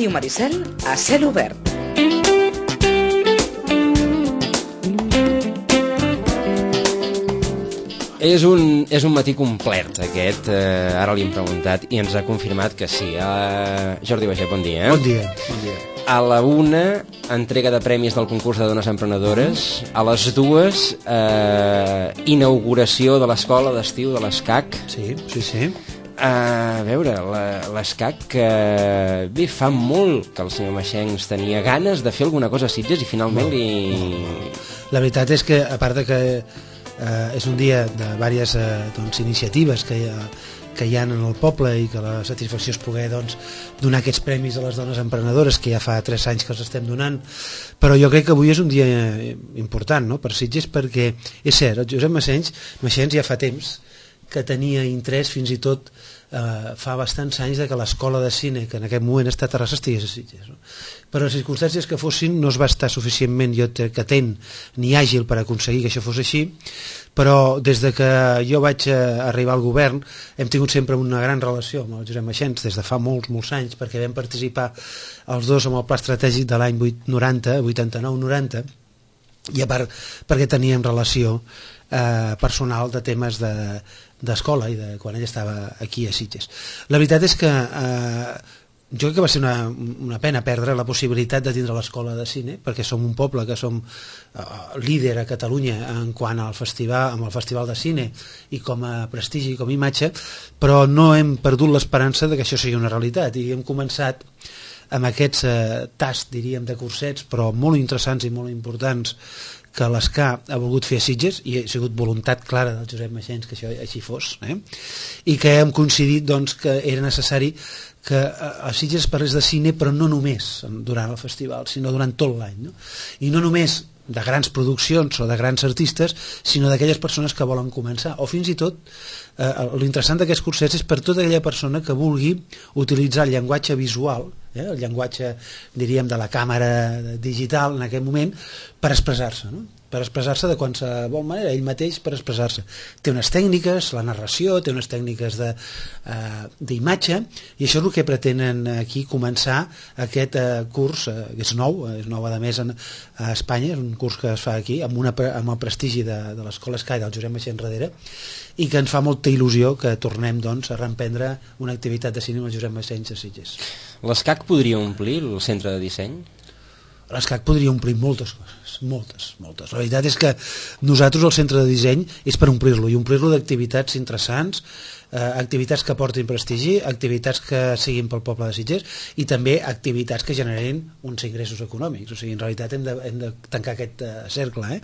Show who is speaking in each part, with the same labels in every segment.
Speaker 1: Ràdio Maricel a cel obert.
Speaker 2: És un matí complet aquest, ara li hem preguntat i ens ha confirmat que sí. Jordi Baiget, bon dia.
Speaker 3: Bon dia.
Speaker 2: A la 1, entrega de premis del concurs de dones emprenedores. A les 2, inauguració de l'escola d'estiu de l'ESCAC.
Speaker 3: Sí.
Speaker 2: A veure, l'ESCAC, bé, fa molt que el senyor Maxencs tenia ganes de fer alguna cosa a Sitges i finalment
Speaker 3: La veritat és que, a part de que és un dia de diverses iniciatives que hi ha en el poble i que la satisfacció és poder donar aquests premis a les dones emprenedores, que ja fa 3 anys que els estem donant, però jo crec que avui és un dia important, no?, per Sitges, perquè és cert, el Josep Maxencs ja fa temps que tenia interès, fins i tot fa bastants anys, de que l'escola de cine, que en aquest moment està a Terrassa, estigués a Sitges, no? Però les circumstàncies que fossin no es va estar suficientment, jo crec que atent ni àgil per aconseguir que això fos així, però des de que jo vaig arribar al govern hem tingut sempre una gran relació amb el Josep Maxencs des de fa molts anys, perquè vam participar els dos amb el pla estratègic de l'any 89-90, i a part perquè teníem relació personal de temes d'escola i de quan ell estava aquí a Sitges. La veritat és que jo crec que va ser una pena perdre la possibilitat de tindre l'escola de cine, perquè som un poble que som líder a Catalunya en quant al festival, amb el festival de cine i com a prestigi, com a imatge, però no hem perdut l'esperança de que això sigui una realitat, i hem començat amb aquests tasts, diríem, de cursets, però molt interessants i molt importants, que l'ESCA ha volgut fer a Sitges, i ha sigut voluntat clara del Josep Maxencs que això així fos, i que hem coincidit que era necessari que a Sitges parlés de cine, però no només durant el festival, sinó durant tot l'any, no? I no només de grans produccions o de grans artistes, sinó d'aquelles persones que volen començar, o fins i tot l'interessant d'aquests cursets és per tota aquella persona que vulgui utilitzar el llenguatge visual, el llenguatge, diríem, de la càmera digital en aquest moment, per expressar-se, no? Per expressar-se de qualsevol manera, ell mateix per expressar-se. Té unes tècniques, la narració, té unes tècniques d'imatge, i això és el que pretenen aquí començar aquest curs, que és nou a més a Espanya, és un curs que es fa aquí, amb el prestigi de l'Escola Escai del Josep Maxencs darrere, i que ens fa molta il·lusió que tornem a reemprendre una activitat de cine amb el Josep Maxencs a Sitges.
Speaker 2: L'ESCAC podria omplir el centre de disseny?
Speaker 3: L'ESCAC podria omplir moltes coses, moltes. La veritat és que nosaltres el centre de disseny és per omplir-lo, i omplir-lo d'activitats interessants, activitats que portin prestigi, activitats que siguin pel poble de Sitges, i també activitats que generin uns ingressos econòmics. O sigui, en realitat hem de tancar aquest cercle,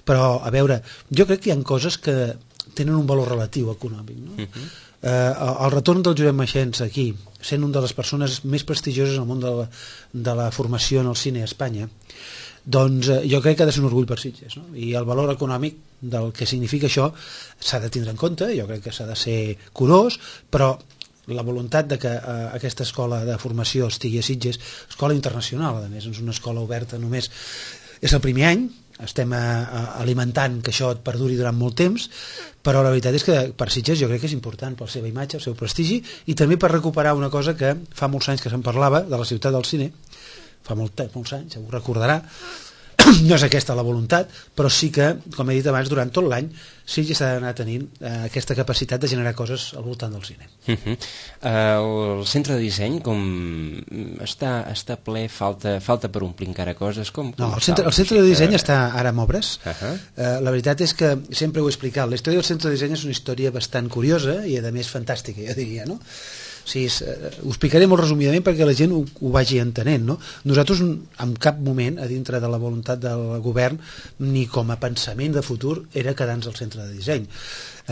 Speaker 3: Però, a veure, jo crec que hi ha coses que tenen un valor relatiu econòmic, no? El retorn del Josep Maxencs aquí, sent una de les persones més prestigioses al món de la formació en el cine a Espanya, doncs jo crec que ha de ser un orgull per Sitges, no? I el valor econòmic del que significa això s'ha de tindre en compte, jo crec que s'ha de ser curós, però la voluntat de que aquesta escola de formació estigui a Sitges, escola internacional, a més, és una escola oberta només, és el primer any, estem alimentant que això et perduri durant molt temps, però la veritat és que per Sitges jo crec que és important per la seva imatge, el seu prestigi, i també per recuperar una cosa que fa molts anys que se'n parlava, de la ciutat del cine, fa molts anys, segur recordarà, no és aquesta la voluntat, però sí que, com he dit abans, durant tot l'any Sitges ha d'anar tenint aquesta capacitat de generar coses al voltant del cine.
Speaker 2: El centre de disseny com està ple, falta per omplir encara coses?
Speaker 3: No, el centre de disseny està ara en obres. La veritat és que sempre ho he explicat, la història del centre de disseny és una història bastant curiosa i a més fantàstica, jo diria, no? O sigui, ho explicaré molt resumidament perquè la gent ho vagi entenent, no? Nosaltres en cap moment, a dintre de la voluntat del govern, ni com a pensament de futur, era quedar-nos al centre de disseny.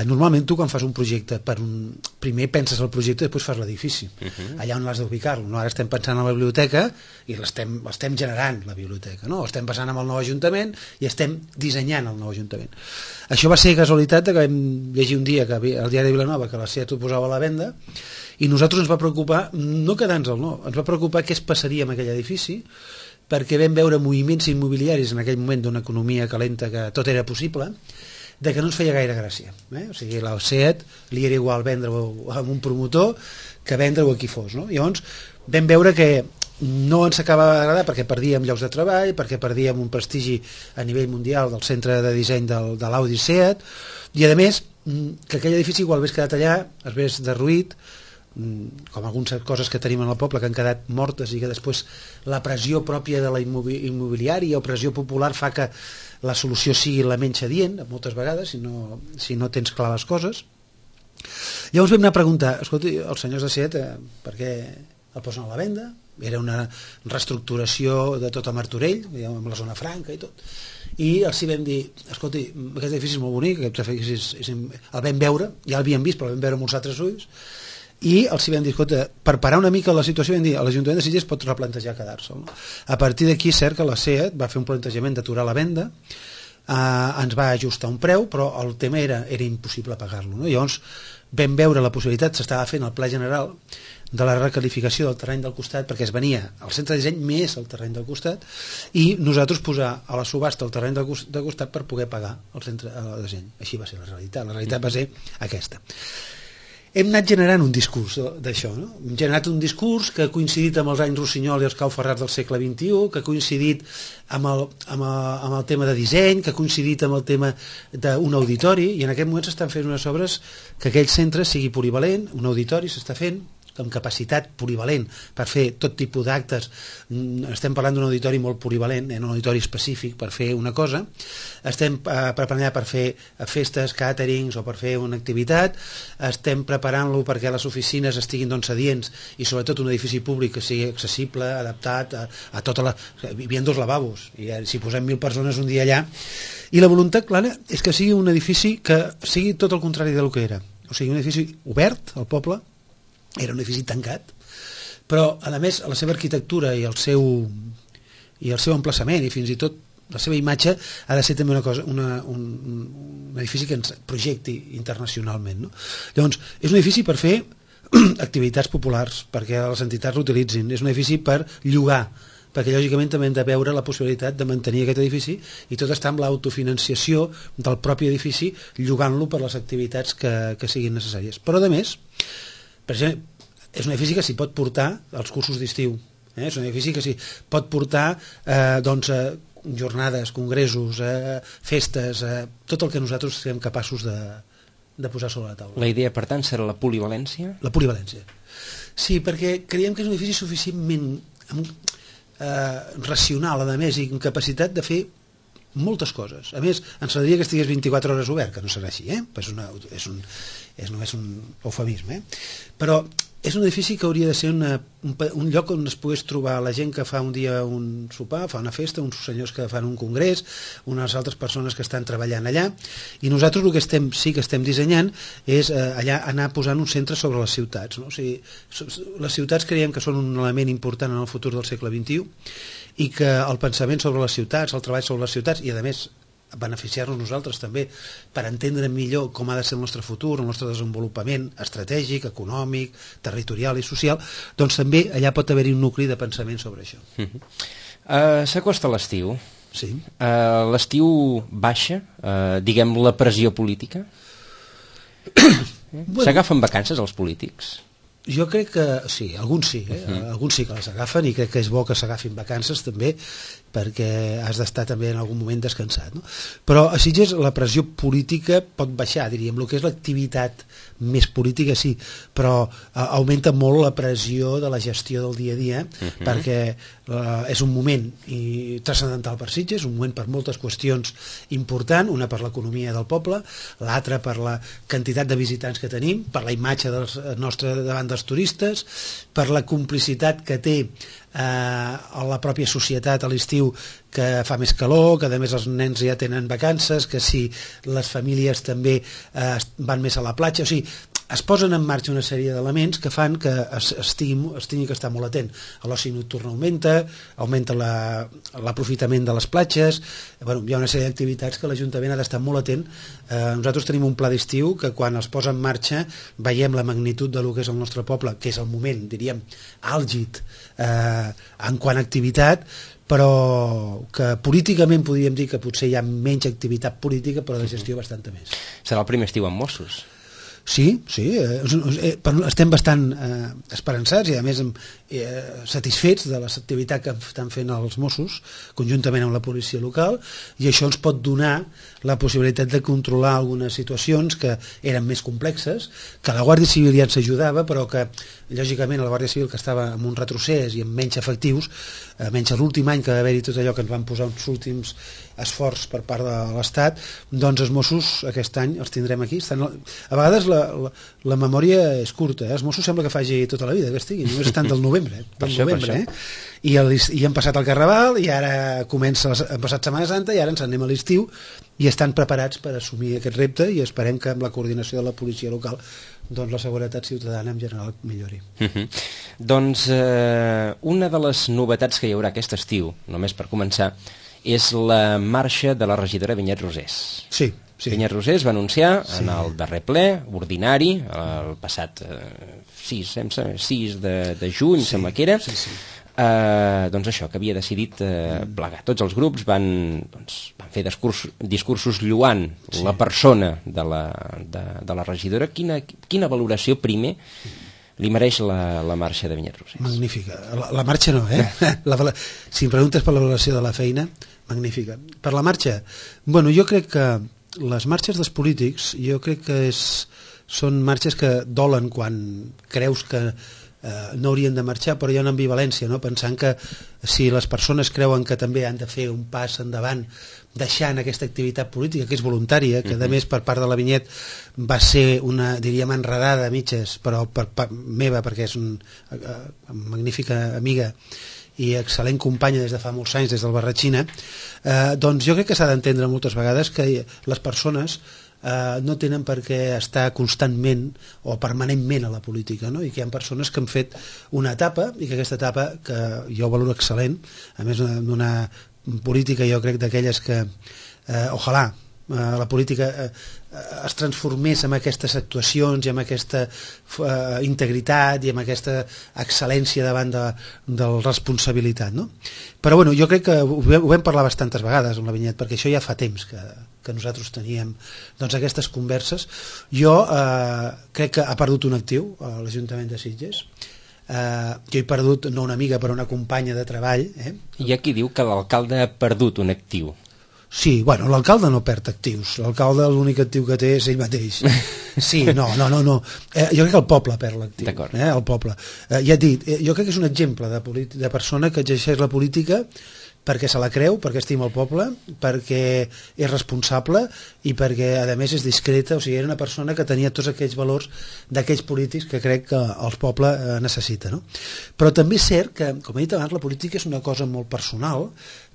Speaker 3: Normalment tu quan fas un projecte primer penses el projecte i després fas l'edifici, allà on l'has d'ubicar-lo, no? Ara estem pensant en la biblioteca i l'estem generant, la biblioteca, no? Estem passant amb el nou ajuntament i estem dissenyant el nou ajuntament. Això va ser casualitat que vam llegir un dia que el diari de Vilanova que la SEAT ho posava a la venda, i nosaltres ens va preocupar no quedar-nos-el, no, ens va preocupar què es passaria amb aquell edifici, perquè vam veure moviments immobiliaris en aquell moment d'una economia calenta que tot era possible, de que no ens feia gaire gràcia, O sigui, la SEAT li era igual vendre-ho amb un promotor que vendre-ho a qui fos, no? Llavors vam veure que no ens acaba d'agradar perquè perdíem llocs de treball, perquè perdíem un prestigi a nivell mundial del centre de disseny de l'Audi Seat, i a més que aquell edifici igual hagués quedat allà, es hagués derruït, com algunes coses que tenim en el poble que han quedat mortes i que després la pressió pròpia de la immobiliària o pressió popular fa que la solució sigui la menys adient moltes vegades si no tens clar les coses. Llavors vam anar a preguntar, escolta, els senyors de Seat per què el posen a la venda? Era una reestructuració de tot a Martorell, amb la zona franca i tot, i els vam dir, escolta, aquest edifici és molt bonic, aquest edifici el vam veure, ja l'havíem vist però el vam veure amb uns altres ulls, i els vam dir, escolta, per parar una mica la situació vam dir, l'Ajuntament de Sitges pot replantejar quedar-se'l, no? A partir d'aquí és cert que la Seat va fer un plantejament d'aturar la venda, ens va ajustar un preu, però el tema era impossible pagar-lo, no? Llavors vam veure la possibilitat, s'estava fent el pla general de la recalificació del terreny del costat, perquè es venia al centre de disseny més el terreny del costat, i nosaltres posar a la subhasta el terreny del costat per poder pagar el centre de disseny. Així va ser la realitat va ser aquesta. Hem anat generant un discurs d'això, no? Hem generat un discurs que ha coincidit amb els anys Rossinyol i els Cau Ferrars del segle XXI, que ha coincidit amb el tema de disseny, que ha coincidit amb el tema d'un auditori, i en aquest moment s'estan fent unes obres que aquell centre sigui polivalent, un auditori s'està fent amb capacitat polivalent per fer tot tipus d'actes. Estem parlant d'un auditori molt polivalent, un auditori específic per fer una cosa. Estem preparant per fer festes, càterings o per fer una activitat. Estem preparant-lo perquè les oficines estiguin adients i sobretot un edifici públic que sigui accessible, adaptat a tota la... Hi havia 2 lavabos i si posem 1.000 persones un dia allà, i la voluntat clara és que sigui un edifici que sigui tot el contrari del que era, o sigui un edifici obert al poble. Era un edifici tancat, però a més la seva arquitectura i el seu emplaçament i fins i tot la seva imatge ha de ser també una cosa, un edifici que ens projecti internacionalment, no? Llavors és un edifici per fer activitats populars, perquè les entitats l'utilitzin, és un edifici per llogar, perquè lògicament també hem de veure la possibilitat de mantenir aquest edifici i tot està amb l'autofinanciació del propi edifici, llogant-lo per les activitats que siguin necessàries. Però a més, per exemple, és un edifici que s'hi pot portar els cursos d'estiu, és un edifici que s'hi pot portar jornades, congressos, festes, tot el que nosaltres siguem capaços de posar sobre la taula.
Speaker 2: La idea, per tant, serà la polivalència?
Speaker 3: La polivalència. Sí, perquè creiem que és un edifici suficientment racional, a més, i amb capacitat de fer moltes coses. A més, ens agradaria que estigués 24 hores obert, que no serà així, és només un eufemisme, però és un edifici que hauria de ser un lloc on es pogués trobar la gent que fa un dia un sopar, fa una festa, uns senyors que fan un congrés, unes altres persones que estan treballant allà, i nosaltres el que sí que estem dissenyant és allà anar posant un centre sobre les ciutats, no? O sigui, les ciutats creiem que són un element important en el futur del segle XXI i que el pensament sobre les ciutats, el treball sobre les ciutats i a més beneficiar-nos nosaltres també per entendre millor com ha de ser el nostre futur, el nostre desenvolupament estratègic, econòmic, territorial i social, doncs també allà pot haver-hi un nucli de pensament sobre això.
Speaker 2: S'acosta l'estiu.
Speaker 3: Sí.
Speaker 2: L'estiu baixa, diguem, la pressió política? S'agafen vacances els polítics?
Speaker 3: Jo crec que sí, alguns sí, alguns sí que les agafen i crec que és bo que s'agafin vacances també perquè has d'estar també en algun moment descansat, no? Però a Sitges la pressió política pot baixar, diríem, el que és l'activitat més política sí, però augmenta molt la pressió de la gestió del dia a dia perquè és un moment transcendental per Sitges, un moment per moltes qüestions important, una per l'economia del poble, l'altra per la quantitat de visitants que tenim, per la imatge nostra davant dels turistes, per la complicitat que té a la pròpia societat a l'estiu que fa més calor, que a més els nens ja tenen vacances, que si les famílies també van més a la platja, o sigui, es posen en marxa una sèrie d'elements que fan que es tingui que estar molt atent. L'oci nocturn augmenta l'aprofitament de les platges, bueno, hi ha una sèrie d'activitats que l'Ajuntament ha d'estar molt atent. Nosaltres tenim un pla d'estiu que quan es posa en marxa veiem la magnitud de lo que és el nostre poble, que és el moment, diríem, àlgid en quant a activitat, però que políticament podríem dir que potser hi ha menys activitat política, però de gestió bastanta més.
Speaker 2: Serà el primer estiu amb Mossos?
Speaker 3: Sí, estem bastant esperançats i a més satisfets de l'activitat que estan fent els Mossos conjuntament amb la policia local, i això ens pot donar la possibilitat de controlar algunes situacions que eren més complexes, que la Guàrdia Civil ja ens ajudava, però que lògicament la Guàrdia Civil, que estava amb un retrocés i amb menys efectius, menys l'últim any que va haver-hi tot allò que ens van posar uns últims esforç per part de l'Estat, doncs els Mossos aquest any els tindrem aquí. A vegades la memòria és curta, els Mossos sembla que faci tota la vida que estiguin, només estan del novembre, i han passat el Carnaval, i ara han passat Setmana Santa, i ara ens anem a l'estiu, i estan preparats per assumir aquest repte, i esperem que amb la coordinació de la policia local doncs la seguretat ciutadana en general millori.
Speaker 2: Doncs una de les novetats que hi haurà aquest estiu, només per començar, és la marxa de la regidora Vinyet Rosés.
Speaker 3: Sí.
Speaker 2: Vinyet Rosés va anunciar en el darrer ple ordinari, el passat 6 de juny, sembla que era, doncs això, que havia decidit plegar. Tots els grups van fer discursos lloant la persona de la regidora. Quina valoració primer li mereix la marxa de Vinyet Rosés?
Speaker 3: Magnífica. La marxa no, si em preguntes per la valoració de la feina, magnífica. Per la marxa, bueno, jo crec que les marxes dels polítics, jo crec que són marxes que dolen quan creus que no haurien de marxar, però hi ha una ambivalència, no? Pensant que si les persones creuen que també han de fer un pas endavant deixant aquesta activitat política, que és voluntària, que a més per part de la Vinyet va ser una, diríem, enredada a mitges, però per part meva, perquè és una magnífica amiga i excel·lent companya des de fa molts anys, des del Barratxina, doncs jo crec que s'ha d'entendre moltes vegades que les persones no tenen per què estar constantment o permanentment a la política, no? I que hi ha persones que han fet una etapa, i que aquesta etapa, que jo valoro excel·lent, a més d'una política, jo crec d'aquelles que ojalà la política es transformés en aquestes actuacions i amb aquesta integritat i amb aquesta excel·lència davant de la responsabilitat, no? Però bueno, jo crec que ho vam parlar bastantes vegades amb la Vinyet, perquè això ja fa temps que nosaltres teníem doncs, aquestes converses. Jo crec que ha perdut un actiu a l'Ajuntament de Sitges. Jo he perdut no una amiga però una companya de treball.
Speaker 2: Hi ha qui diu que l'alcalde ha perdut un actiu.
Speaker 3: Sí, bueno, l'alcalde no perd actius, l'alcalde l'únic actiu que té és ell mateix. Sí, no. Jo crec que el poble perd l'actiu, el poble. Ja et dic, jo crec que és un exemple de persona que exerceix la política perquè se la creu, perquè estima el poble, perquè és responsable i perquè a més és discreta, o sigui, era una persona que tenia tots aquells valors d'aquells polítics que crec que el poble necessita, no? Però també és cert que, com he dit abans, la política és una cosa molt personal,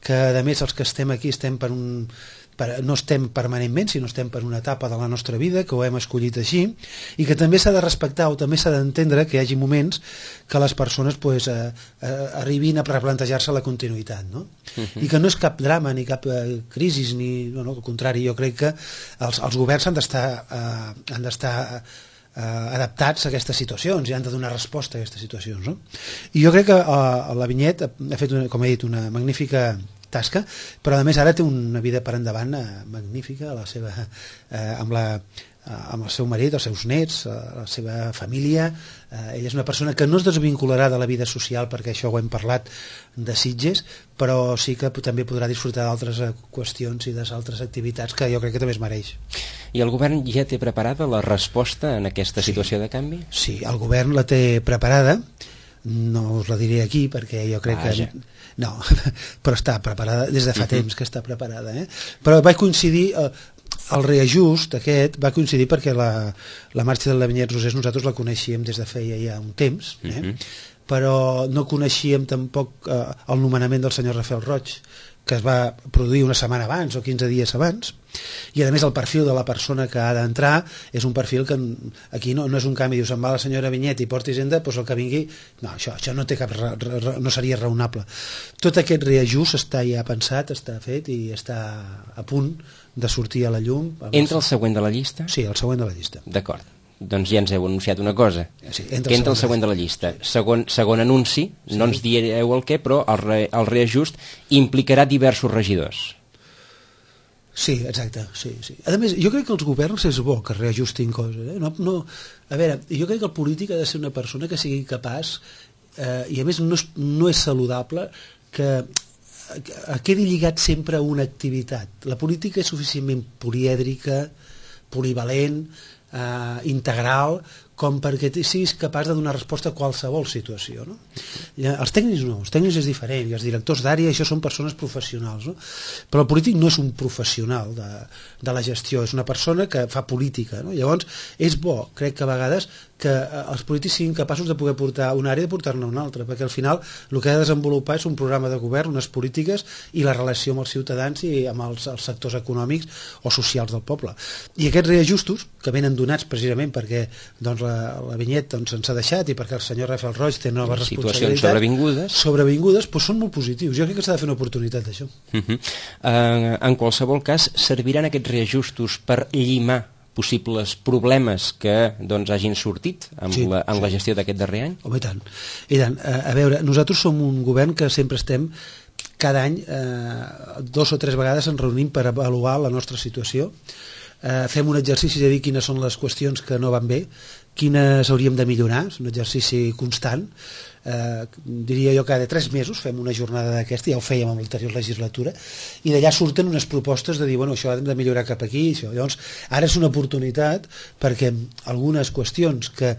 Speaker 3: que a més els que estem aquí estem no estem permanentment, sinó estem per una etapa de la nostra vida que ho hem escollit així, i que també s'ha de respectar o també s'ha d'entendre que hi hagi moments que les persones arribin a replantejar-se la continuïtat, no? I que no és cap drama ni cap crisi, al contrari, jo crec que els governs han d'estar adaptats a aquestes situacions i han de donar resposta a aquestes situacions, no? I jo crec que la Vinyet ha fet, com he dit, una magnífica tasca, però a més ara té una vida per endavant magnífica amb el seu marit, els seus nets, la seva família. Ella és una persona que no es desvincularà de la vida social, perquè això ho hem parlat de Sitges, però sí que també podrà disfrutar d'altres qüestions i d'altres activitats que jo crec que també es mereix.
Speaker 2: I el govern ja té preparada la resposta en aquesta situació de canvi?
Speaker 3: Sí, el govern la té preparada, no us la diré aquí perquè jo crec que... No, però està preparada, des de fa temps que està preparada. Però va coincidir, el reajust aquest va coincidir perquè la marxa de la Vinyet Rosés nosaltres la coneixíem des de feia ja un temps, però no coneixíem tampoc el nomenament del senyor Rafael Roig, que es va produir una setmana abans o 15 dies abans, i a més el perfil de la persona que ha d'entrar és un perfil que aquí no és un canvi, dius, se'n va la senyora Vinyet i porta Hisenda, doncs el que vingui, no, això no té no seria raonable. Tot aquest reajust està ja pensat, està fet i està a punt de sortir a la llum.
Speaker 2: Entra el següent de la llista?
Speaker 3: Sí, el següent de la llista.
Speaker 2: D'acord. Doncs ja ens heu anunciat una cosa,
Speaker 3: sí,
Speaker 2: que entra el següent de la llista. Segon anunci, no ens direu el què, però el reajust implicarà diversos regidors.
Speaker 3: Sí, exacte, sí. A més, jo crec que els governs és bo que reajustin coses. A veure, jo crec que el polític ha de ser una persona que sigui capaç i a més no és saludable que quedi lligat sempre a una activitat. La política és suficientment polièdrica, polivalent, integral, com perquè siguis capaç de donar resposta a qualsevol situació, no? Els tècnics no, els tècnics és diferent, i els directors d'àrea, això són persones professionals, no? Però el polític no és un professional de la gestió, és una persona que fa política, no? Llavors és bo, crec que a vegades, que els polítics siguin capaços de poder portar una àrea i de portar-ne una altra, perquè al final el que ha de desenvolupar és un programa de govern, unes polítiques i la relació amb els ciutadans i amb els sectors econòmics o socials del poble. I aquests reajustos, que venen donats precisament perquè doncs, la Vinyet doncs, ens ha deixat i perquè el senyor Rafael Roig té noves
Speaker 2: situacions
Speaker 3: sobrevingudes, doncs són molt positius. Jo crec que s'ha de fer una oportunitat d'això.
Speaker 2: En qualsevol cas, serviran aquests reajustos per llimar possibles problemes que doncs, hagin sortit en la gestió d'aquest darrer any?
Speaker 3: Home, i tant. A veure, nosaltres som un govern que sempre estem cada any 2 o 3 vegades ens reunim per avaluar la nostra situació. Fem un exercici de dir quines són les qüestions que no van bé, quines hauríem de millorar, és un exercici constant. Diria jo cada 3 mesos fem una jornada d'aquesta, ja ho fèiem en l'anterior legislatura, i d'allà surten unes propostes de dir, bueno, això hem de millorar cap aquí, això. Llavors, ara és una oportunitat perquè algunes qüestions que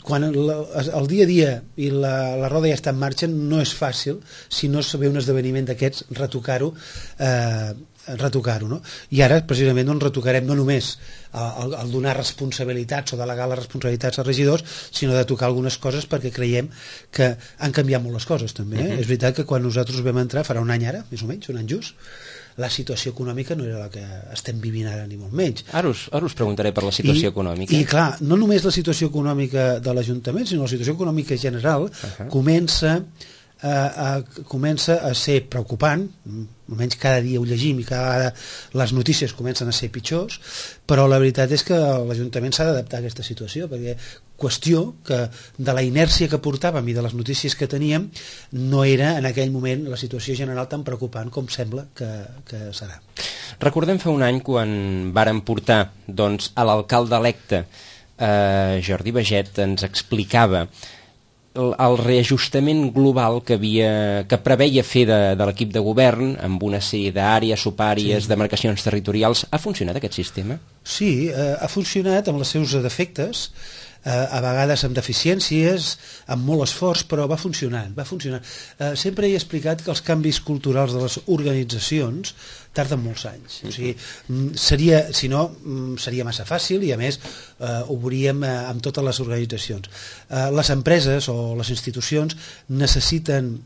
Speaker 3: quan el dia a dia i la roda ja està en marxa no és fàcil, si no es ve un esdeveniment d'aquests, retocar-ho, no? I ara precisament doncs, retocarem no només el donar responsabilitats o delegar les responsabilitats als regidors, sinó de tocar algunes coses perquè creiem que han canviat molt les coses també. És veritat que quan nosaltres vam entrar, farà un any ara, més o menys, un any just, la situació econòmica no era la que estem vivint ara ni molt menys.
Speaker 2: Ara us preguntaré per la situació econòmica.
Speaker 3: I clar, no només la situació econòmica de l'Ajuntament, sinó la situació econòmica general comença a ser preocupant, almenys cada dia ho llegim i cada vegada les notícies comencen a ser pitjors, però la veritat és que l'Ajuntament s'ha d'adaptar a aquesta situació, perquè qüestió que de la inèrcia que portàvem i de les notícies que teníem no era en aquell moment la situació general tan preocupant com sembla que serà.
Speaker 2: Recordem fa un any quan vàrem portar doncs, a l'alcalde electe Jordi Baget, ens explicava el reajustament global que preveia fer de l'equip de govern amb una sèrie d'àrees, subàrees, demarcacions territorials. Ha funcionat aquest sistema?
Speaker 3: Sí, ha funcionat amb els seus defectes, a vegades amb deficiències, amb molt esforç, però va funcionant. Sempre he explicat que els canvis culturals de les organitzacions tarden molts anys. O sigui, seria massa fàcil i a més ho veuríem amb totes les organitzacions. Les empreses o les institucions necessiten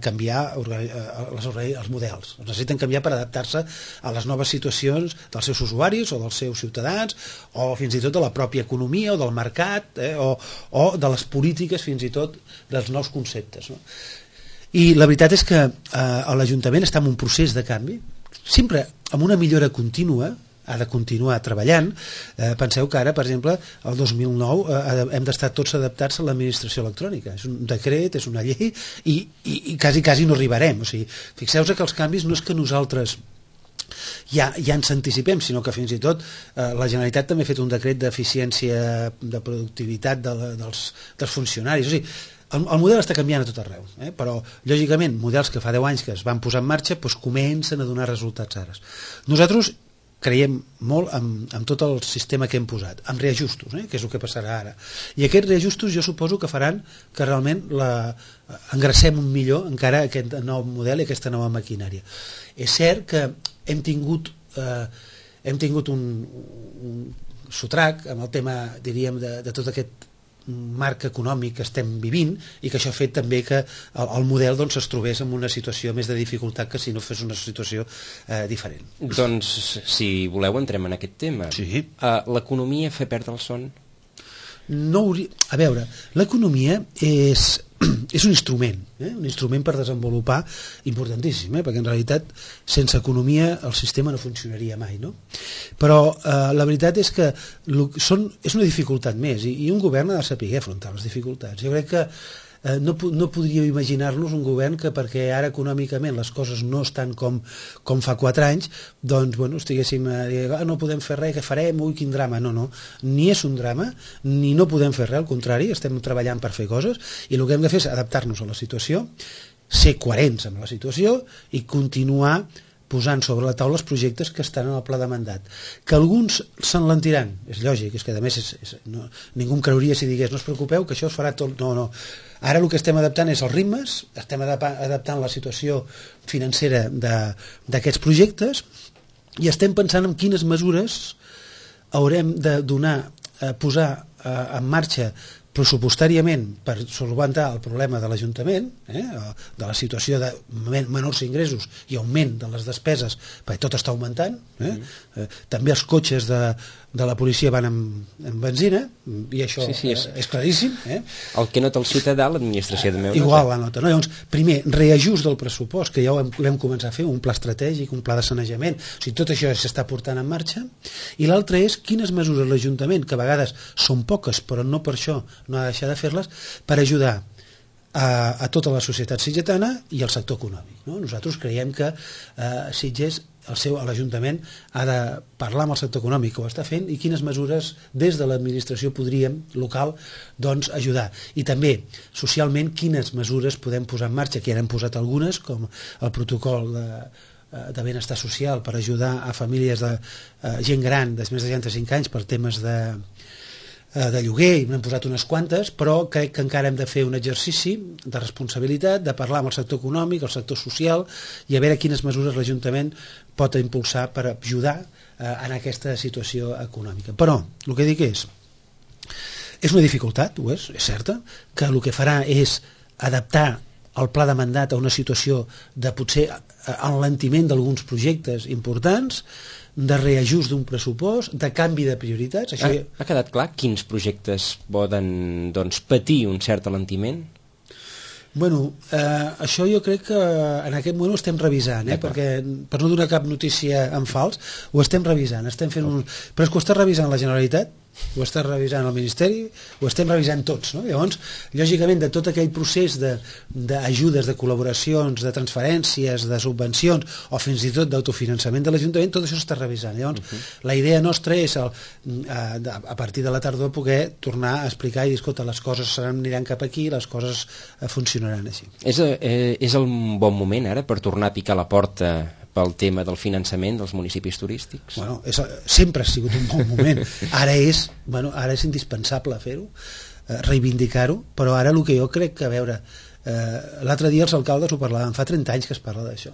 Speaker 3: canviar els models, necessiten canviar per adaptar-se a les noves situacions dels seus usuaris o dels seus ciutadans o fins i tot de la pròpia economia o del mercat o de les polítiques, fins i tot dels nous conceptes, no? I la veritat és que l'Ajuntament està en un procés de canvi, sempre amb una millora contínua, ha de continuar treballant. Penseu que ara, per exemple, el 2009 hem d'estar tots adaptats a l'administració electrònica. És un decret, és una llei i quasi no arribarem. O sigui, fixeu-vos que els canvis no és que nosaltres ja ens anticipem, sinó que fins i tot la Generalitat també ha fet un decret d'eficiència, de productivitat dels funcionaris. O sigui, el model està canviant a tot arreu, però lògicament models que fa 10 anys que es van posar en marxa doncs comencen a donar resultats ara. Nosaltres creiem molt en tot el sistema que hem posat, amb reajustos, que és el que passarà ara, i aquests reajustos jo suposo que faran que realment engracem un millor encara aquest nou model i aquesta nova maquinària. És cert que hem tingut un sotrac amb el tema, diríem, de tot aquest marc econòmic que estem vivint i que això ha fet també que el model doncs, es trobés en una situació més de dificultat que si no fos una situació diferent.
Speaker 2: Doncs, si voleu, entrem en aquest tema.
Speaker 3: Sí.
Speaker 2: L'economia fa perdre el son?
Speaker 3: A veure, l'economia és un instrument per desenvolupar importantíssim, perquè en realitat sense economia el sistema no funcionaria mai, no? Però la veritat és que és una dificultat més i un govern ha de saber afrontar les dificultats. Jo crec que no podríeu imaginar-nos un govern que perquè ara econòmicament les coses no estan com fa 4 anys, doncs bueno, estiguéssim a dir, no podem fer res, què farem, ui, quin drama. No, ni és un drama, ni no podem fer res, al contrari, estem treballant per fer coses, i el que hem de fer és adaptar-nos a la situació, ser coherents amb la situació i continuar posant sobre la taula els projectes que estan en el pla de mandat. Que alguns s'enlentiran, és lògic, és que a més ningú em creuria si digués no us preocupeu que això es farà tot, no. Ara el que estem adaptant és els ritmes, estem adaptant la situació financera d'aquests projectes i estem pensant en quines mesures haurem de posar en marxa pressupostàriament per solventar el problema de l'Ajuntament, de la situació de menors ingressos i augment de les despeses, perquè tot està augmentant, també els cotxes de la policia van amb benzina, i això és claríssim.
Speaker 2: El que nota el ciutadà, l'administració també ho nota.
Speaker 3: Igual la nota. Llavors, primer, reajust del pressupost, que ja l'hem començat a fer, un pla estratègic, un pla de sanejament, o sigui, tot això s'està portant en marxa, i l'altre és quines mesures l'Ajuntament, que a vegades són poques, però no per això no ha de deixar de fer-les, per ajudar a tota la societat sitgetana i al sector econòmic. Nosaltres creiem que Sitges, l'Ajuntament ha de parlar amb el sector econòmic que ho està fent i quines mesures des de l'administració podríem local doncs ajudar, i també socialment quines mesures podem posar en marxa, que ja n'hem posat algunes, com el protocol de benestar social per ajudar a famílies de gent gran de més de 65 anys per temes de lloguer, i n'hem posat unes quantes, però crec que encara hem de fer un exercici de responsabilitat, de parlar amb el sector econòmic, el sector social, i a veure quines mesures l'Ajuntament pot impulsar per ajudar en aquesta situació econòmica. Però el que dic és una dificultat, ho és certa, que el que farà és adaptar el pla de mandat a una situació de potser enlentiment d'alguns projectes importants, de reajust d'un pressupost, de canvi de prioritats.
Speaker 2: Això ha quedat clar quins projectes poden patir un cert alentiment?
Speaker 3: Bueno, això jo crec que en aquest moment ho estem revisant, perquè per no donar cap notícia en fals, ho estem revisant, però és que ho està revisant la Generalitat, ho està revisant el Ministeri, ho estem revisant tots, no? Llavors, lògicament, de tot aquell procés d'ajudes, de col·laboracions, de transferències, de subvencions, o fins i tot d'autofinançament de l'Ajuntament, tot això s'està revisant. Llavors, la idea nostra és, a partir de la tardor, poder tornar a explicar i dir, escolta, les coses aniran cap aquí, les coses funcionaran així.
Speaker 2: És el bon moment, ara, per tornar a picar la porta pel tema del finançament dels municipis turístics?
Speaker 3: Bueno, sempre ha sigut un bon moment. Ara és indispensable fer-ho, reivindicar-ho, però ara el que jo crec que, a veure, l'altre dia els alcaldes ho parlaven, fa 30 anys que es parla d'això,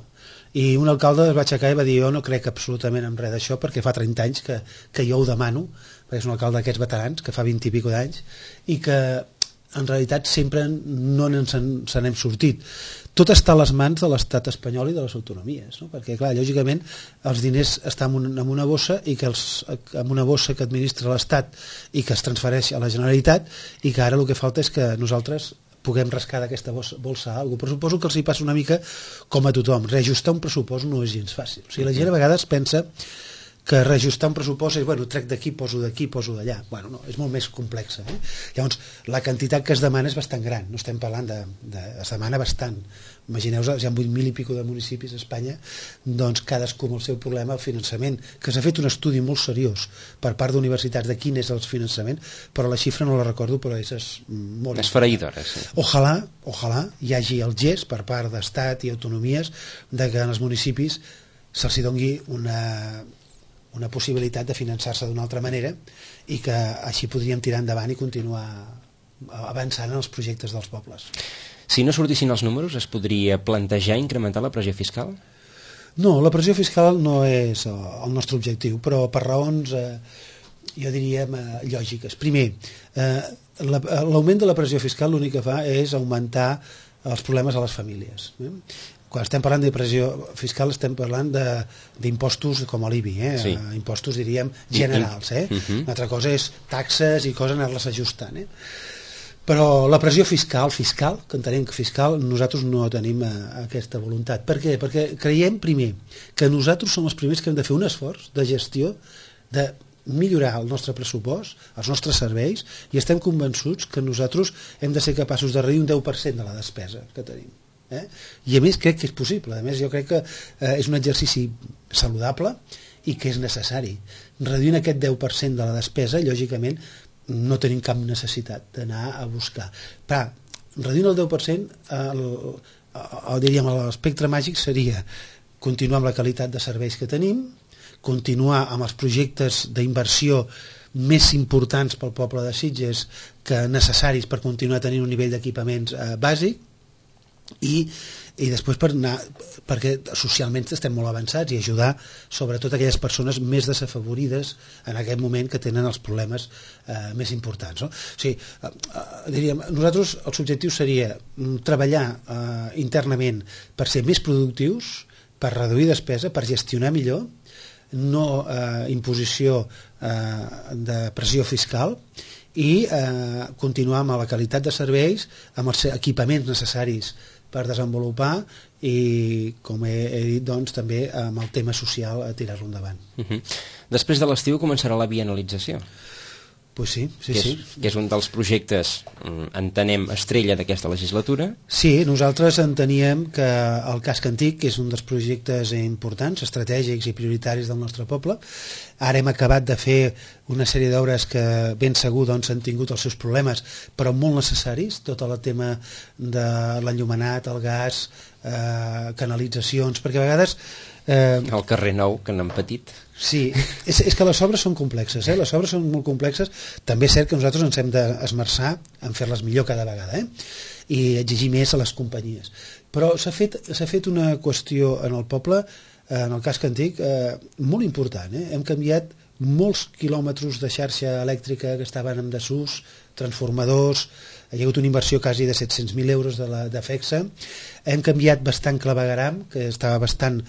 Speaker 3: i un alcalde es va aixecar i va dir jo no crec absolutament en res d'això perquè fa 30 anys que jo ho demano, perquè és un alcalde d'aquests veterans que fa 20 i pico d'anys i que en realitat sempre no se n'hem sortit. Tot està a les mans de l'estat espanyol i de les autonomies, no? Perquè, clar, lògicament, els diners estan en una bossa i que en una bossa que administra l'estat i que es transfereix a la Generalitat, i que ara el que falta és que nosaltres puguem rascar d'aquesta bolsa alguna cosa. Però suposo que els hi passa una mica com a tothom. Reajustar un pressupost no és gens fàcil. O sigui, la gent a vegades pensa que reajustar un pressupost és, bueno, trec d'aquí, poso d'allà. Bueno, no, és molt més complex. Llavors, la quantitat que es demana és bastant gran. No estem parlant es demana bastant. Imagineu-vos, hi ha 8.000 i pico de municipis a Espanya, doncs cadascú amb el seu problema, el finançament, que s'ha fet un estudi molt seriós per part d'universitats de quin és el finançament, però la xifra no la recordo, però és molt...
Speaker 2: Esfereïdora, sí.
Speaker 3: Ojalà hi hagi el gest per part d'estat i autonomies de que en els municipis se'ls doni una possibilitat de finançar-se d'una altra manera i que així podríem tirar endavant i continuar avançant en els projectes dels pobles.
Speaker 2: Si no sortissin els números, es podria plantejar incrementar la pressió fiscal?
Speaker 3: No, la pressió fiscal no és el nostre objectiu, però per raons, jo diria, lògiques. Primer, l'augment de la pressió fiscal l'únic que fa és augmentar els problemes a les famílies. Quan estem parlant de pressió fiscal estem parlant d'impostos com l'IBI,
Speaker 2: sí.
Speaker 3: Impostos, diríem, generals. Una altra cosa és taxes i coses anar-les ajustant. Però la pressió fiscal, que entenem que fiscal, nosaltres no tenim aquesta voluntat. Per què? Perquè creiem, primer, que nosaltres som els primers que hem de fer un esforç de gestió, de millorar el nostre pressupost, els nostres serveis, i estem convençuts que nosaltres hem de ser capaços de reduir un 10% de la despesa que tenim. I a més crec que és possible, a més jo crec que és un exercici saludable i que és necessari. Reduint aquest 10% de la despesa, lògicament no tenim cap necessitat d'anar a buscar. Però reduint el 10%, diríem, l'espectre màgic seria continuar amb la qualitat de serveis que tenim, continuar amb els projectes d'inversió més importants pel poble de Sitges que necessaris per continuar tenint un nivell d'equipaments bàsic, i després perquè socialment estem molt avançats, i ajudar sobretot aquelles persones més desafavorides en aquest moment que tenen els problemes més importants, no? O sigui, diríem, nosaltres els objectius seria treballar internament per ser més productius, per reduir despesa, per gestionar millor, no imposició de pressió fiscal, i continuar amb la qualitat de serveis, amb els equipaments necessaris per desenvolupar, i com he dit, doncs, també amb el tema social a tirar-lo endavant.
Speaker 2: Després de l'estiu començarà la bienalització.
Speaker 3: Pues sí.
Speaker 2: Que és un dels projectes, entenem, estrella d'aquesta legislatura.
Speaker 3: Sí, nosaltres enteníem que el casc antic, que és un dels projectes importants, estratègics i prioritaris del nostre poble, ara hem acabat de fer una sèrie d'obres que ben segur doncs, han tingut els seus problemes, però molt necessaris, tot el tema de l'enllumenat, el gas, canalitzacions, perquè a vegades
Speaker 2: el carrer Nou, que n'han patit.
Speaker 3: Sí, és que les obres són complexes, les obres són molt complexes. També és cert que nosaltres ens hem d'esmerçar en fer-les millor cada vegada, i exigir més a les companyies. Però s'ha fet una qüestió en el poble, en el casc antic, molt important. Hem canviat molts quilòmetres de xarxa elèctrica que estaven en desús, transformadors, hi ha hagut una inversió quasi de 700.000 euros de FEXA, hem canviat bastant clavegueram, que estava bastant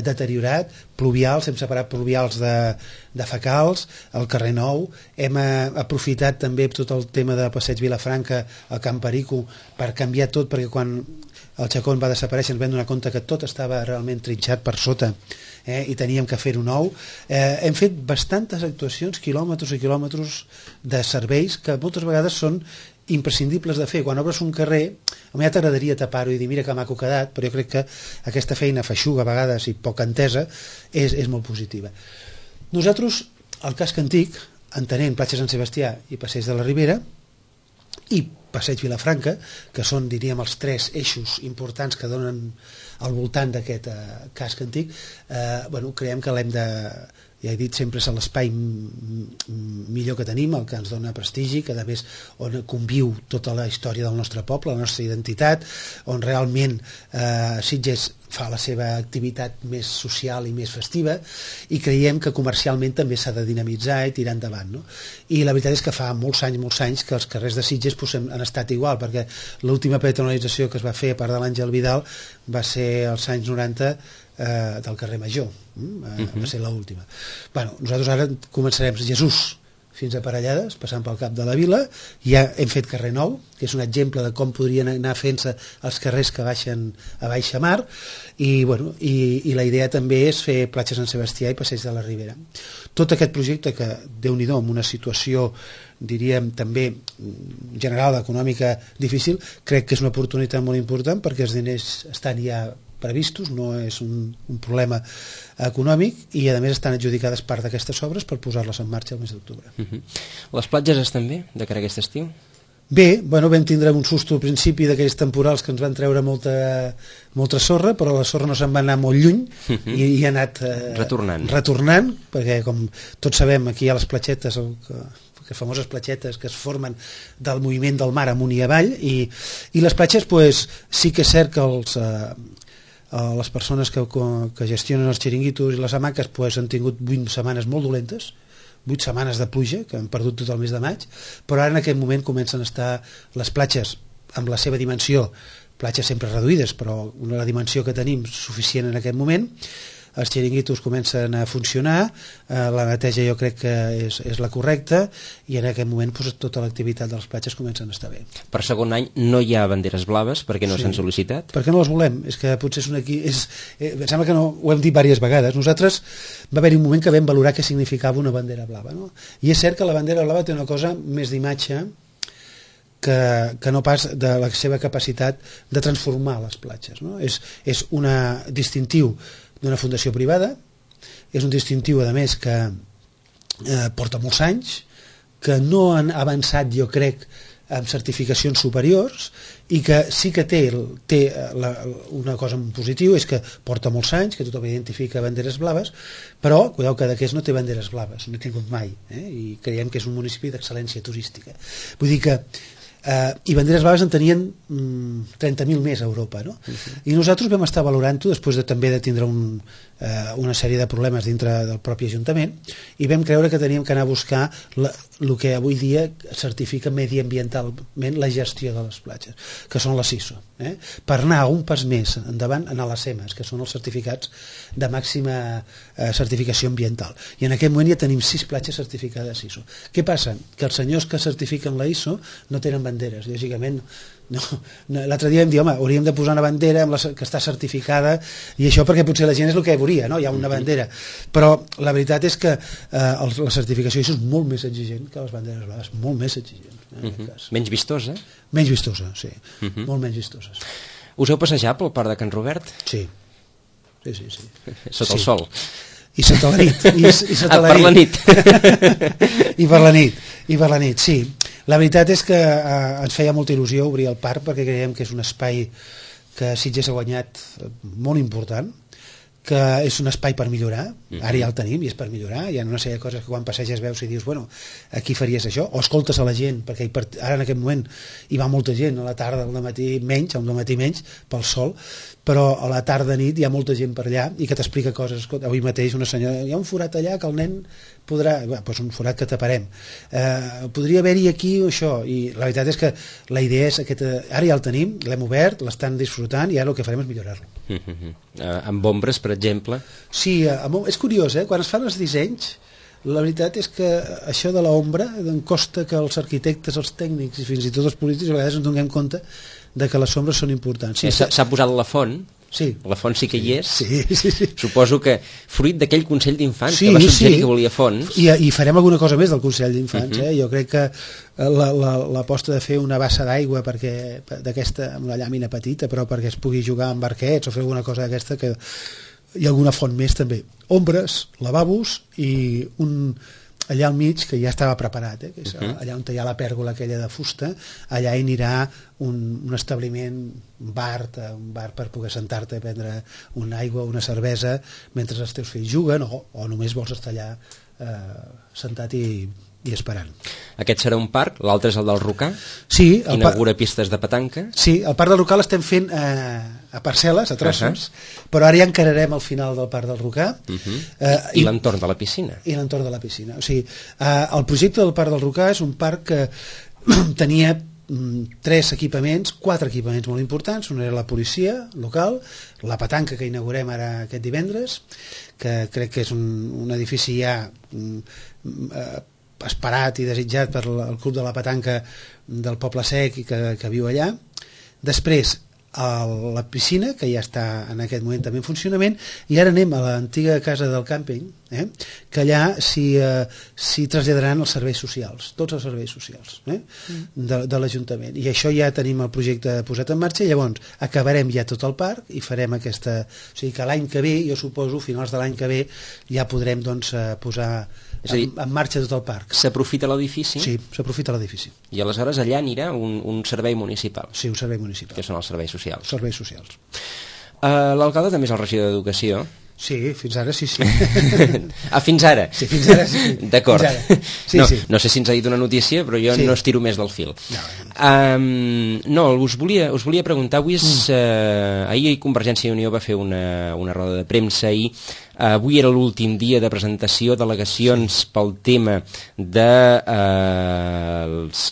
Speaker 3: deteriorat, pluvials, hem separat pluvials de fecals, al carrer Nou, hem aprofitat també tot el tema de Passeig Vilafranca, al Camp Perico, per canviar tot, perquè quan el Chacón va desaparèixer ens vam donar compte que tot estava realment trinxat per sota, i teníem que fer-ho nou. Hem fet bastantes actuacions, quilòmetres i quilòmetres de serveis que moltes vegades són imprescindibles de fer. Quan obres un carrer, a mi ja t'agradaria tapar-ho i dir mira que maco quedat, però jo crec que aquesta feina feixuga a vegades i poc entesa és molt positiva. Nosaltres, al casc antic, entenent Platja Sant Sebastià i Passeig de la Ribera i Passeig Vilafranca, que són, diríem, els tres eixos importants que donen al voltant d'aquest casc antic, creiem que l'hem de, ja he dit, sempre és l'espai millor que tenim, el que ens dona prestigi, que a més on conviu tota la història del nostre poble, la nostra identitat, on realment Sitges fa la seva activitat més social i més festiva, i creiem que comercialment també s'ha de dinamitzar i tirar endavant, no? I la veritat és que fa molts anys que els carrers de Sitges han estat igual, perquè l'última peatonalització que es va fer a part de l'Àngel Vidal va ser als anys 90 del carrer Major, va ser l'última. Nosaltres ara començarem Jesús fins a Parellades, passant pel cap de la vila, ja hem fet carrer Nou, que és un exemple de com podrien anar fent-se els carrers que baixen a baixa mar, i la idea també és fer Platja Sant Sebastià i Passeig de la Ribera. Tot aquest projecte que, Déu-n'hi-do, en una situació, diríem, també general, econòmica, difícil, crec que és una oportunitat molt important perquè els diners estan ja previstos, no és un problema econòmic, i a més estan adjudicades part d'aquestes obres per posar-les en marxa el mes d'octubre.
Speaker 2: Les platges estan bé de cara a aquest estiu?
Speaker 3: Bé, vam tindre un susto al principi d'aquells temporals que ens van treure molta sorra, però la sorra no se'n va anar molt lluny i ha anat retornant, perquè com tots sabem aquí hi ha les platgetes, les famoses platgetes que es formen del moviment del mar amunt i avall, i les platges sí que és cert que les persones que gestionen els xiringuitos i les hamaques han tingut 8 setmanes molt dolentes, 8 setmanes de pluja, que han perdut tot el mes de maig, però ara en aquest moment comencen a estar les platges amb la seva dimensió, platges sempre reduïdes, però la dimensió que tenim suficient en aquest moment, els xiringuitos comencen a funcionar, la neteja jo crec que és la correcta, i en aquest moment doncs, tota l'activitat de les platges comencen a estar bé.
Speaker 2: Per segon any no hi ha banderes blaves perquè no s'han sol·licitat?
Speaker 3: Perquè no les volem, és que potser és un equip... em sembla que no, ho hem dit diverses vegades. Nosaltres va haver-hi un moment que vam valorar què significava una bandera blava, no? I és cert que la bandera blava té una cosa més d'imatge que no pas de la seva capacitat de transformar les platges, no? És un distintiu d'una fundació privada, és un distintiu a més que porta molts anys, que no han avançat jo crec amb certificacions superiors, i que sí que té una cosa en positiu, és que porta molts anys, que tothom identifica banderes blaves, però cuideu que Cadaqués no té banderes blaves, no he tingut mai, i creiem que és un municipi d'excel·lència turística. Vull dir que i banderes blaves en tenien 30.000 més a Europa, no? I nosaltres vam estar valorant-ho després també de tindre una sèrie de problemes dintre del propi Ajuntament, i vam creure que teníem que anar a buscar el que avui dia certifica mediambientalment la gestió de les platges, que són les ISO, per anar un pas més endavant, anar a les CEMAS, que són els certificats de màxima certificació ambiental, i en aquest moment ja tenim 6 platges certificades ISO. Què passa? Que els senyors que certifiquen la ISO no tenen banderes, lògicament no. L'altre dia vam dir, home, hauríem de posar una bandera que està certificada, i això perquè potser la gent és el que volia, no? Hi ha una bandera, però la veritat és que la certificació és molt més exigent que les banderes blaves, molt més exigent.
Speaker 2: Menys vistosa?
Speaker 3: Menys vistosa, sí, molt menys vistoses.
Speaker 2: Us heu passejat pel Parc de Can Robert?
Speaker 3: Sí.
Speaker 2: Sota el sol?
Speaker 3: I sota la nit.
Speaker 2: Per la nit.
Speaker 3: I per la nit, sí. La veritat és que ens feia molta il·lusió obrir el parc, perquè creiem que és un espai que Sitges ha guanyat molt important, que és un espai per millorar, ara ja el tenim i és per millorar, hi ha una sèrie de coses que quan passeges veus i dius, bueno, aquí faries això, o escoltes a la gent, perquè ara en aquest moment hi va molta gent, a la tarda, al matí menys, pel sol, però a la tarda nit hi ha molta gent per allà i que t'explica coses. Escolta, avui mateix una senyora, hi ha un forat allà que el nen podrà, doncs un forat que taparem, podria haver-hi aquí això, i la veritat és que la idea és ara ja el tenim, l'hem obert, l'estan disfrutant, i ara el que farem és millorar-lo.
Speaker 2: Amb ombres, per exemple?
Speaker 3: Sí, és curiós, quan es fan els dissenys, la veritat és que això de l'ombra costa que els arquitectes, els tècnics i fins i tot els polítics a vegades ens donem compte de que les ombres són importants.
Speaker 2: S'ha posat la font?
Speaker 3: Sí.
Speaker 2: La font sí que hi és?
Speaker 3: Sí.
Speaker 2: Suposo que fruit d'aquell Consell d'Infants que va suggerir que volia fonts.
Speaker 3: I farem alguna cosa més del Consell d'Infants. Jo crec que l'aposta de fer una bassa d'aigua d'aquesta, amb una llàmina petita, però perquè es pugui jugar amb barquets o fer alguna cosa d'aquesta, que hi ha alguna font més també. Ombres, lavabos i allà al mig, que ja estava preparat, que és allà on hi ha la pèrgola aquella de fusta, allà hi anirà un establiment, un bar per poder sentar-te a prendre una aigua o una cervesa mentre els teus fills juguen, o només vols estar allà sentat i esperant.
Speaker 2: Aquest serà un parc, l'altre és el del Rocà,
Speaker 3: sí,
Speaker 2: inaugura pistes de petanca.
Speaker 3: Sí, el parc del Rocà l'estem fent a parcel·les, a trossos, però ara ja encararem al final del parc del Rocà.
Speaker 2: I l'entorn de la piscina.
Speaker 3: I l'entorn de la piscina. O sigui, el projecte del parc del Rocà és un parc que tenia 4 equipaments molt importants. Un era la policia local, la petanca que inaugurem ara aquest divendres, que crec que és un edifici ja esperat i desitjat per el club de la petanca del Poble Sec i que viu allà. Després la piscina, que ja està en aquest moment també en funcionament, i ara anem a l'antiga casa del càmping, que allà s'hi traslladaran els serveis socials, tots els serveis socials de l'Ajuntament, i això ja tenim el projecte posat en marxa, i llavors acabarem ja tot el parc i farem aquesta... O sigui que l'any que ve, jo suposo, finals de l'any que ve, ja podrem posar en marxa tot el parc.
Speaker 2: S'aprofita l'edifici?
Speaker 3: Sí, s'aprofita l'edifici.
Speaker 2: I aleshores allà anirà un servei municipal?
Speaker 3: Sí, un servei municipal.
Speaker 2: Que són els serveis socials.
Speaker 3: Serveis socials.
Speaker 2: L'alcalde també és el regidor d'Educació?
Speaker 3: Sí, fins ara sí.
Speaker 2: Fins ara?
Speaker 3: Sí, fins ara sí.
Speaker 2: D'acord.
Speaker 3: Sí.
Speaker 2: No sé si ens ha dit una notícia, però jo no estiro més del fil. Us volia preguntar, ahir Convergència i Unió va fer una roda de premsa i avui era l'últim dia de presentació d'al·legacions pel tema dels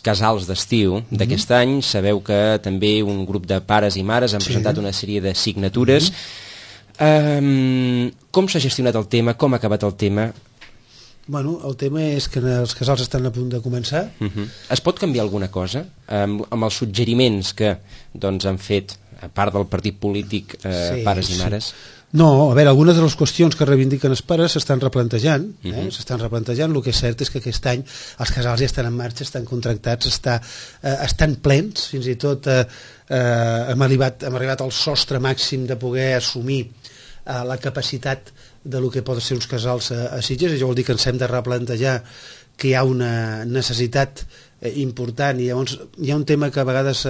Speaker 2: casals d'estiu d'aquest any. Sabeu que també un grup de pares i mares han presentat una sèrie de signatures. Com s'ha gestionat el tema? Com ha acabat el tema?
Speaker 3: Bueno, el tema és que els casals estan a punt de començar.
Speaker 2: Es pot canviar alguna cosa amb els suggeriments que doncs, han fet, a part del partit polític, pares i mares?
Speaker 3: No, a veure, algunes de les qüestions que reivindiquen els pares s'estan replantejant, s'estan replantejant. El que és cert és que aquest any els casals ja estan en marxa, estan contractats, estan plens, fins i tot hem arribat al sostre màxim de poder assumir la capacitat de lo que poden ser uns casals a Sitges. Això vol dir que ens hem de replantejar que hi ha una necessitat important, i llavors hi ha un tema que a vegades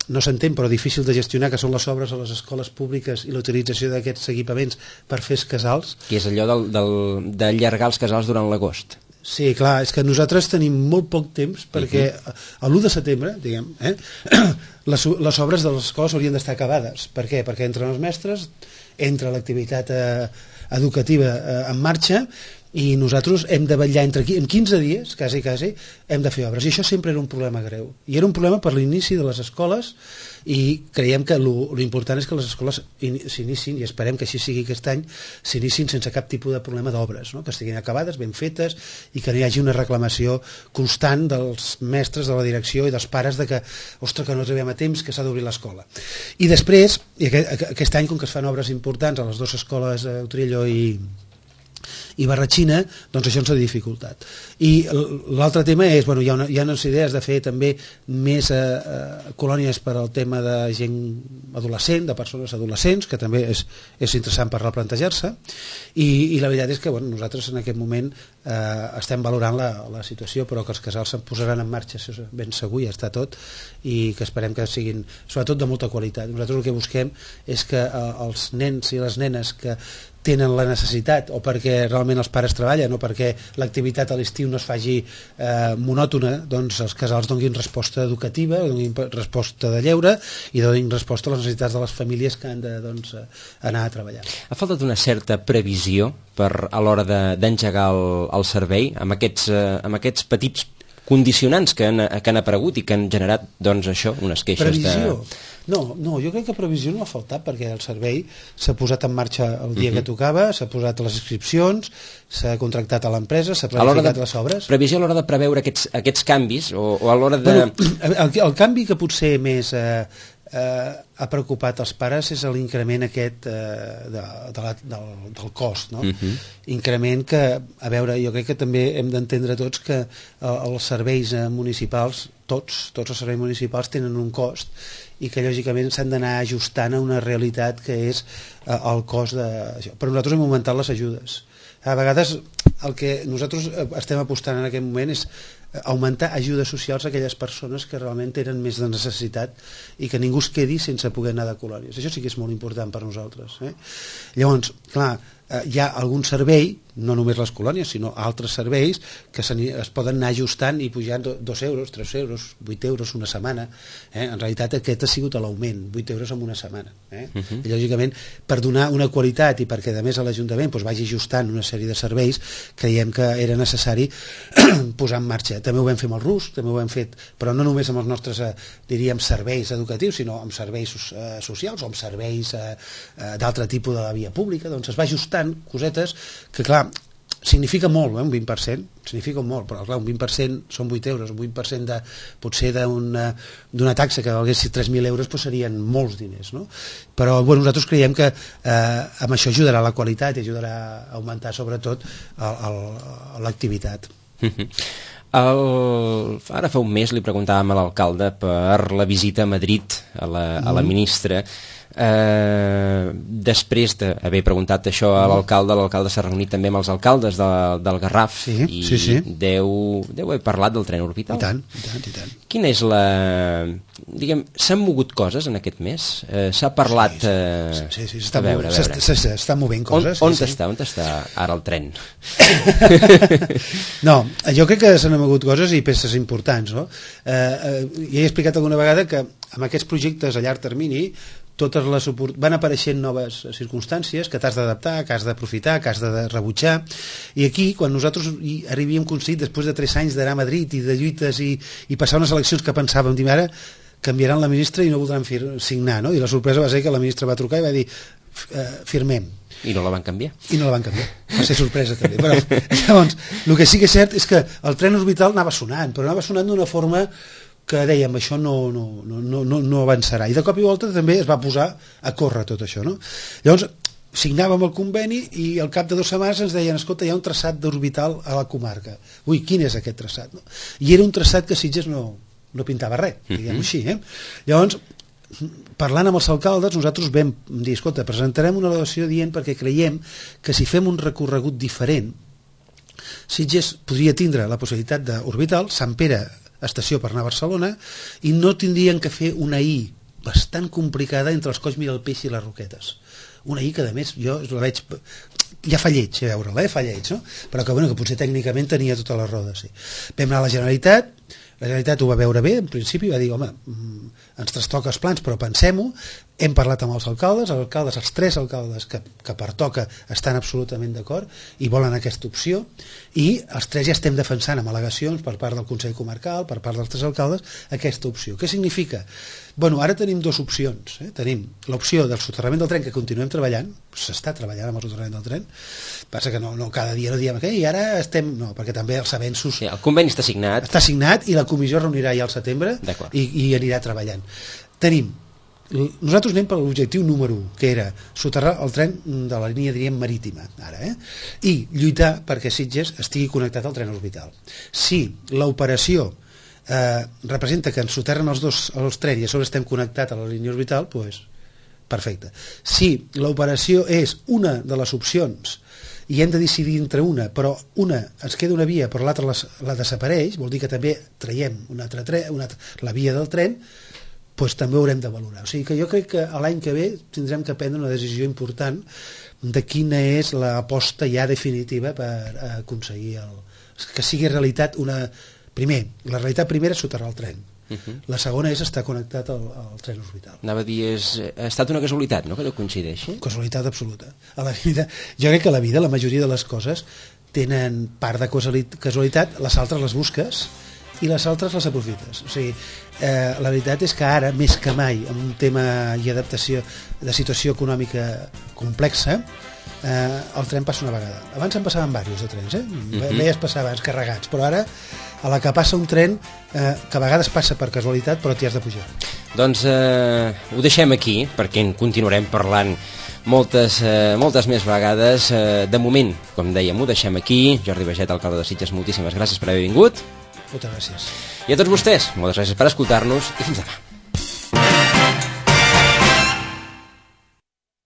Speaker 3: no s'entén però difícil de gestionar, que són les obres a les escoles públiques i la utilització d'aquests equipaments per fer els casals.
Speaker 2: Que és allò d'allargar els casals durant l'agost.
Speaker 3: Sí, clar, és que nosaltres tenim molt poc temps perquè l'1 de setembre, diguem, les obres de les escoles haurien d'estar acabades. Per què? Perquè entren els mestres, entra l'activitat educativa en marxa, i nosaltres hem de vetllar en 15 dies, quasi, hem de fer obres. I això sempre era un problema greu. I era un problema per l'inici de les escoles, i creiem que l'important és que les escoles s'inicin, i esperem que així sigui aquest any, s'inicin sense cap tipus de problema d'obres, no? Que estiguin acabades, ben fetes, i que no hi hagi una reclamació constant dels mestres, de la direcció i dels pares de que, ostres, que no arribem a temps, que s'ha d'obrir l'escola. I després, i aquest any, com que es fan obres importants a les dues escoles, Utrillo i Barratxina, doncs això ens ha dificultat. I l'altre tema és, bueno, hi ha unes idees de fer també més colònies per al tema de gent adolescent, de persones adolescents, que també és interessant per replantejar-se, i la veritat és que bueno, nosaltres en aquest moment estem valorant la situació, però que els casals se'n posaran en marxa, això és ben segur, ja està tot, i que esperem que siguin sobretot de molta qualitat. Nosaltres el que busquem és que els nens i les nenes que tenen la necessitat, o perquè realment els pares treballen, o perquè l'activitat a l'estiu no es faci monòtona, doncs els casals donin resposta educativa, donin resposta de lleure i donin resposta a les necessitats de les famílies que han de anar a treballar.
Speaker 2: Ha faltat una certa previsió a l'hora d'engegar el servei amb aquests petits condicionants que han aparegut i que han generat doncs això, unes queixes
Speaker 3: previsió. No, jo crec que previsió no ha faltat, perquè el servei s'ha posat en marxa el dia que tocava, s'ha posat les inscripcions, s'ha contractat a l'empresa, s'ha planificat les obres.
Speaker 2: Previsió a l'hora de preveure aquests canvis o a l'hora de...
Speaker 3: El canvi que potser més ha preocupat els pares és l'increment aquest del cost, no? Increment que, a veure, jo crec que també hem d'entendre tots que els serveis municipals, tots els serveis municipals tenen un cost, i que lògicament s'han d'anar ajustant a una realitat que és el cost d'això. Però nosaltres hem augmentat les ajudes. A vegades el que nosaltres estem apostant en aquest moment és augmentar ajudes socials a aquelles persones que realment tenen més de necessitat i que ningú es quedi sense poder anar de colònies. Això sí que és molt important per nosaltres. Llavors, clar, hi ha algun servei, no només les colònies, sinó altres serveis que es poden anar ajustant i pujant 2 euros, 3 euros, 8 euros una setmana. En realitat aquest ha sigut l'augment, 8 euros en una setmana. I lògicament, per donar una qualitat i perquè a més a l'Ajuntament vagi ajustant una sèrie de serveis, creiem que era necessari posar en marxa. També ho vam fer amb el RUS, també ho hem fet, però no només amb els nostres, diríem, serveis educatius, sinó amb serveis socials o amb serveis d'altre tipus de la via pública. Doncs es va ajustant cosetes que, clar, significa molt, un 20%, significa molt, però clar, un 20% són 8 euros, un 20% potser d'una taxa que valgués 3.000 euros doncs serien molts diners, no? Però bueno, nosaltres creiem que amb això ajudarà la qualitat i ajudarà a augmentar sobretot l'activitat.
Speaker 2: Ara fa un mes li preguntàvem a l'alcalde per la visita a Madrid a la ministra. Després d'haver preguntat això a l'alcalde s'ha reunit també amb els alcaldes del Garraf i deu haver parlat del tren orbital.
Speaker 3: I tant.
Speaker 2: Quina és diguem, s'han mogut coses en aquest mes? S'ha parlat...
Speaker 3: Sí, s'estan movent coses.
Speaker 2: On està ara el tren?
Speaker 3: No, jo crec que s'han mogut coses i peces importants, no? Ja he explicat alguna vegada que amb aquests projectes a llarg termini van apareixent noves circumstàncies que t'has d'adaptar, que has d'aprofitar, que has de rebutjar, i aquí quan nosaltres havíem aconseguit després de 3 anys d'anar a Madrid i de lluites i passar unes eleccions que pensàvem, ara canviaran la ministra i no voldran signar, no? I la sorpresa va ser que la ministra va trucar i va dir firmem.
Speaker 2: I no la van canviar.
Speaker 3: I no la van canviar, va ser sorpresa també. Però, llavors, el que sí que és cert és que el tren orbital anava sonant, però anava sonant d'una forma que dèiem, això no avançarà. I de cop i volta també es va posar a córrer tot això, no? Llavors, signàvem el conveni i al cap de 2 setmanes ens deien, escolta, hi ha un traçat d'orbital a la comarca. Ui, quin és aquest traçat? No? I era un traçat que Sitges no pintava res, diguem-ho així. Llavors, parlant amb els alcaldes, nosaltres vam dir, escolta, presentarem una al·legació dient perquè creiem que si fem un recorregut diferent, Sitges podria tindre la possibilitat d'orbital, Sant Pere, estació per anar a Barcelona, i no tindrien que fer una I bastant complicada entre els Colls Miralpeix i les Roquetes. Una I que, a més, jo la veig... Ja fa lleig, a veure-la, fa lleig, no? Però que, bueno, que potser tècnicament tenia totes les rodes, sí. Vam anar a la Generalitat ho va veure bé, en principi, va dir, home, ens trastoca els plans, però pensem-ho, hem parlat amb els alcaldes, els 3 alcaldes que pertoca estan absolutament d'acord i volen aquesta opció, i els 3 ja estem defensant amb al·legacions per part del Consell Comarcal, per part dels 3 alcaldes, aquesta opció. Què significa? Bueno, ara tenim 2 opcions. Tenim l'opció del soterrament del tren, que continuem treballant, s'està treballant amb el soterrament del tren, passa que no cada dia no diem que i ara estem... No, perquè també els avenços...
Speaker 2: Sí, el conveni està signat.
Speaker 3: Està signat i la comissió es reunirà ja al setembre i anirà treballant. Nosaltres anem per l'objectiu número 1, que era soterrar el tren de la línia, diríem, marítima, ara, i lluitar perquè Sitges estigui connectat al tren orbital. Si l'operació representa que ens soterren els trens i a sobre estem connectats a la línia orbital, doncs perfecte. Si l'operació és una de les opcions i hem de decidir entre una, però ens queda una via però l'altra la desapareix, vol dir que també traiem la via del tren, doncs també ho haurem de valorar. O sigui que jo crec que l'any que ve tindrem que prendre una decisió important de quina és l'aposta ja definitiva per aconseguir que sigui realitat Primer, la realitat primera és soterrar el tren. La segona és estar connectat al tren orbital.
Speaker 2: Anava a dir, ha estat una casualitat, no?, que no coincideixi?
Speaker 3: Casualitat absoluta. Jo crec que a la vida la majoria de les coses tenen part de casualitat, les altres les busques i les altres les aprofites. O sigui, la veritat és que ara, més que mai, amb un tema i adaptació de situació econòmica complexa, el tren passa una vegada. Abans en passaven diversos de trens, veies passar abans carregats, però ara a la que passa un tren que a vegades passa per casualitat però t'hi has de pujar.
Speaker 2: Doncs ho deixem aquí perquè en continuarem parlant moltes més vegades. De moment, com dèiem, ho deixem aquí. Jordi Baiget, alcalde de Sitges, moltíssimes gràcies per haver vingut.
Speaker 3: Moltes gràcies.
Speaker 2: I a tots vostès, moltes gràcies per escoltar-nos i fins demà.